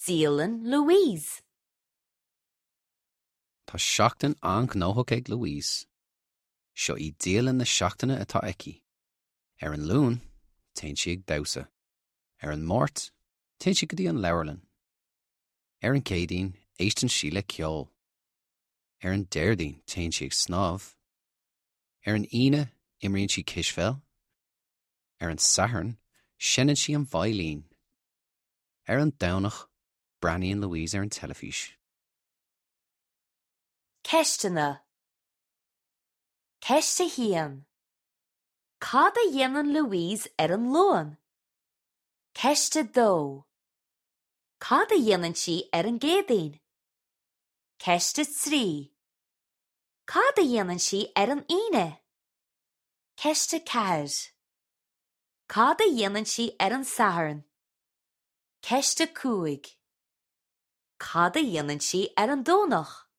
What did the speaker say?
Dialann Louise. Tá seachtain an-ghnóthach ag Louise. Seo í dialann na seachtaine atá aici. Ar an Luan, téann sí ag damhsa. Ar an Máirt, téann sí go dtí an leabharlann. Ar an gCéadaoin, éisteann sí le ceol. Ar an Déardaoin, téann sí ag snámh. Ar an Aoine, imríonn sí cispheil. Ar an Satharn, seinneann sí an veidhlín. Ar an Domhnach, breathnaíonn Louise ar an teilifís. Ceisteanna Ceist 1. Cad a dhéanann Louise ar an Luan? Ceist 2. Cad a dhéanann sí ar an gCéadaoin? Ceist 3. Cad a dhéanann sí ar an Aoine? Ceist 4. Cad a dhéanann sí ar an Satharn? Ceist 5. Cad a dhéanann sí ar an Domhnach?